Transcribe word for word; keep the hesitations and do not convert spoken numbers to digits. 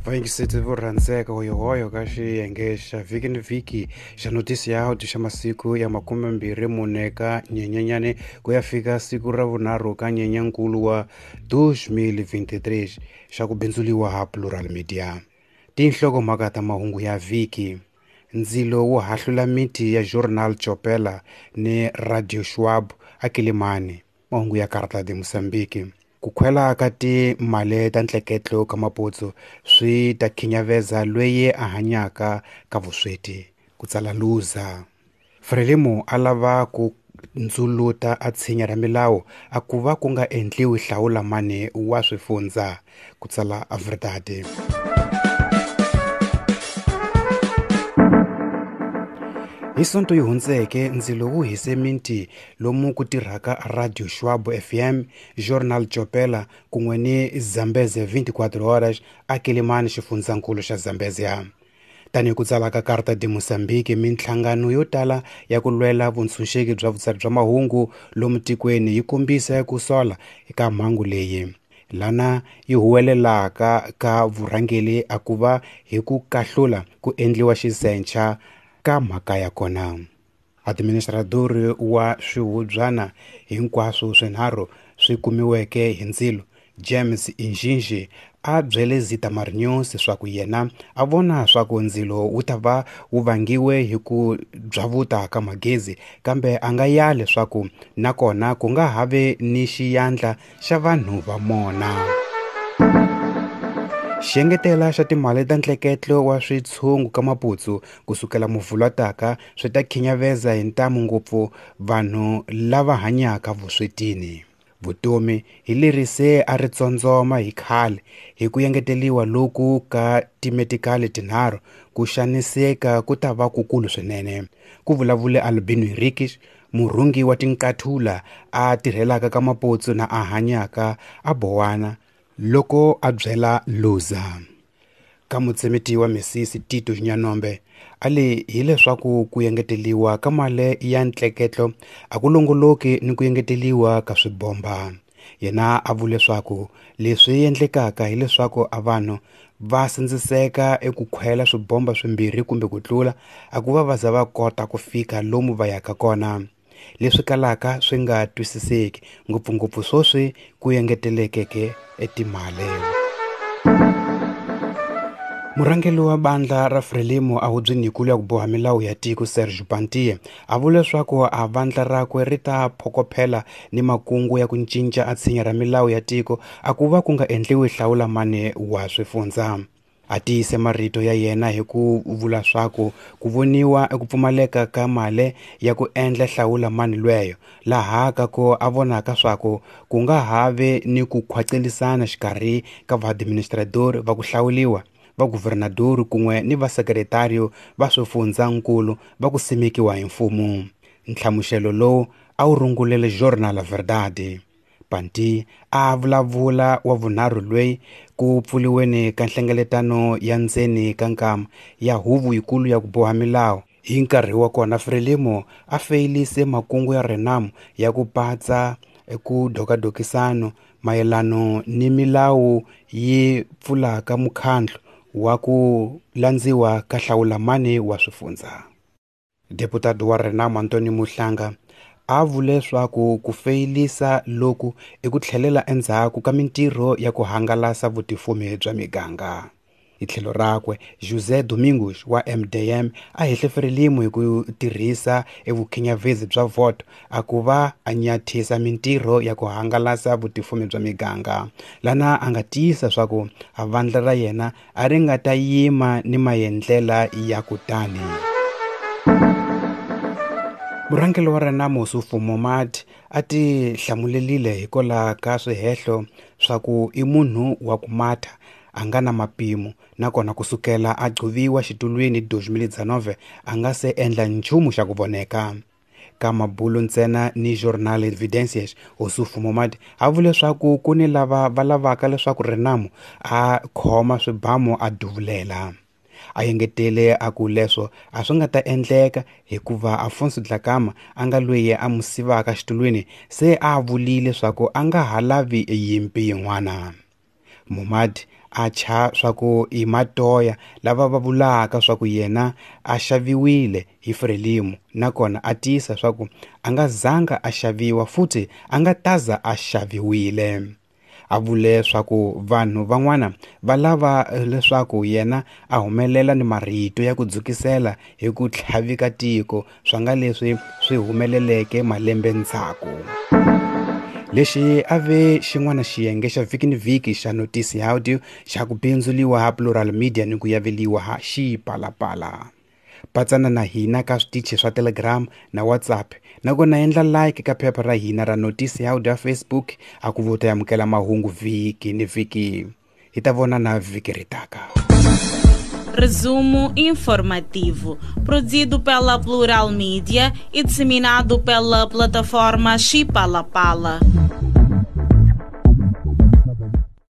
Vayingiseti vo rhandzeka hoyohoyo ka xiyenge xa vhiki ni vhiki xa notisi ya audio xa masiku ya makumembirhi mune ka Nyenyenyani ku ya fika siku ra vunharhu ka Nyenyankulu wa dos mil vinte e três xa ku bindzuliwa ha Plural Media. Tinhlokomhaka ta mahungu ya vhiki: ndzilo wu hahlula miti ya Jornal Chopela ni Radio Schwab a Kilimani. Mahungu ya Carta de Mozambique. Ku khwela ka timali ta ntleketlo ka maputsu swi ta khinyaveza loyi a hanyaka ka vusweti, ku tsala Luza. Frelimo a lava ku ndzuluta a tshinya ra milawu a ku va ku nga endliwi hlawula mani wa swifundza, ku tsala a Verdade. Hi Sonto yi hundzeke ndzilo wu hise miti lomu ku tirhaka Radio Schwab F M, Jornal Chopela kun'we ni Zambeze vinte e quatro horas a Kilimani, xifundzankulu xa Zambezia. Tanihi ku tsala ka Carta de Mozambique, minhlangano yo tala ya ku lwela vuntshunxeki bya vutsari bya mahungu lomu tikweni yi kombisa ku sola eka mhangu leyi. Lana yi huwelelaka ka vurhangeri a ku va hi ku kahlula ku endliwa xizencha ka mhaka ya kona. Administrador wa swihubyana hinkwaswo swinharhu swi kumiweke hi ndzilo, James Injinji, a byele Zitamar News swa ku yena a vona swa ku ndzilo wu ta va wu vangiwe hi ku byavuta ka magezi, kambe a nga yali swa ku nakona ku nga ha vi ni xiyandla xa vanhu va mona. Xiengetela xa timali ta ntleketlo wa switshungu ka maputsu kusukela muvhulwataka swi ta khinyaveza hi ntamu ngopfu vanhu lava hanyaka vuswetini. Vutomi hi leri se a ri tsondzoma hi khale hi ku engeteliwa loku ka timetikali tinharhu, ku xaniseka ku ta va kukulu swinene, ku vulavule Albino Henriques, murhungi wa tinqathula a tirhelaka ka maputsu na a hanyaka a Bowana, loko a byela Luza. Ka mutsemeti wa misisi Tito Nyanombe a le hileswaku ku engeteliwa ka mali ya ntleketlo a ku longoloki ni ku engeteliwa ka swibomba. Yena a vule leswaku leswi endlekaka hileswaku a vanhu va sindziseka eku khwela swibomba swimbirhi kumbe ku tlula a ku va va za va kota ku fika lomu va yaka kona, leswi kalaka swi nga twisiseki ngopfungopfu swoswi ku engetelekeke etimali. Murhangeri wa bandla ra Frelimo a hubyeni yikulu ya ku boha milawu ya tiko Serge Pantie a vule leswaku a vandla rakwe ri ta phokophela ni makungu ya ku cinca a tshinya ra milawu ya tiko a ku va ku nga endliwi hlawula mani wa swifundza. A tiyise marito ya yena hi ku vula swaku ku voniwa eku pfumaleka ka mali ya ku endla hlawula mani lweyo, laha ka ku a vonaka swaku ku nga ha vi ni ku khwacelisana xikarhi ka vaadministrador va ku hlawuliwa, va guvernador kun'we ni va sekretario va swifundzankulu va ku simekiwa hi mfumo. Nhlamuselo lowu a wu rungulele Jornal Verdade. Panti a vulavula wa vunharhu loyi ku pfuliweni ka nhlengeletano ya ndzeni ka nkama ya huvo yikulu ya ku boha milawu. Hi nkarhi wa kona Frelimo a feyilise makungu ya Renamo ya ku patsa eku dokadokisano mayelano ni milawu yi pfulaka mukhandlu wa ku landziwa ka hlawula mani wa swifundza. Deputado wa Renamo Antonio Muhlanga a vule leswaku ku feyilisa loku i ku tlhelela endzhaku ka mintirho ya ku hangalasa vutifumi bya miganga. Hi tlhelo rakwe, José Domingos wa M D M a hehle Frelimo hi ku tirhisa evukhinyavezi bya voto a ku va a nyathisa mintirho ya ku hangalasa vutifumi bya miganga. Lana a nga tiyisa swaku a vandla ra yena a ri nga ta yima ni maendlela ya kutani. Murhangeri wa Renamo Ossufo Momad a ti hlamulelile hikwalaho ka swihehlo swa ku i munhu wa ku matha a nga na mapimo, nakona kusukela a gcuviwa xitulwini dos mil dezenove a nga se endla nchumu xa ku voneka. Ka mabulo ntsena ni Jornal Evidências, Ossufo Momad a vule leswaku ku ni lava va lavaka leswaku Renamo a khoma swibamu a duvulela. A engetele a ku leswo a swi nga ta endleka hikuva Afonso Dhlakama a nga loyi a mu sivaka xitulwini se a vulile leswaku a nga ha lavi yimpi yin'wana. Momad a cha swa ku i matoya lava va vulaka swa ku yena a xaviwile hi Frelimo, nakona a tiyisa swa ku a nga zanga a xaviwa futhi a nga taza a xaviwile. A vule swa ku vanhu van'wana va lava leswaku yena a humelela ni marito ya ku dzukisela hi ku tlhavika tiko swa nga leswi swi humeleleke malembe ndzhaku. Lexi a ve xin'wana xiyenge xa vhiki ni vhiki xa Notisi ya Audio xa ku bindzuliwa ha Plural Media ni ku yaveliwa ha Xipalapala. Patsana na hina ka switichi swa Telegram na WhatsApp, nakona endla like ka phepha ra hina ra Notisi ya Audio ya Facebook a ku vota amukela mahungu vhiki ni vhiki. Hi ta vonana vhiki ri taka. Resumo informativo, produzido pela Plural Media e disseminado pela plataforma Xipalapala.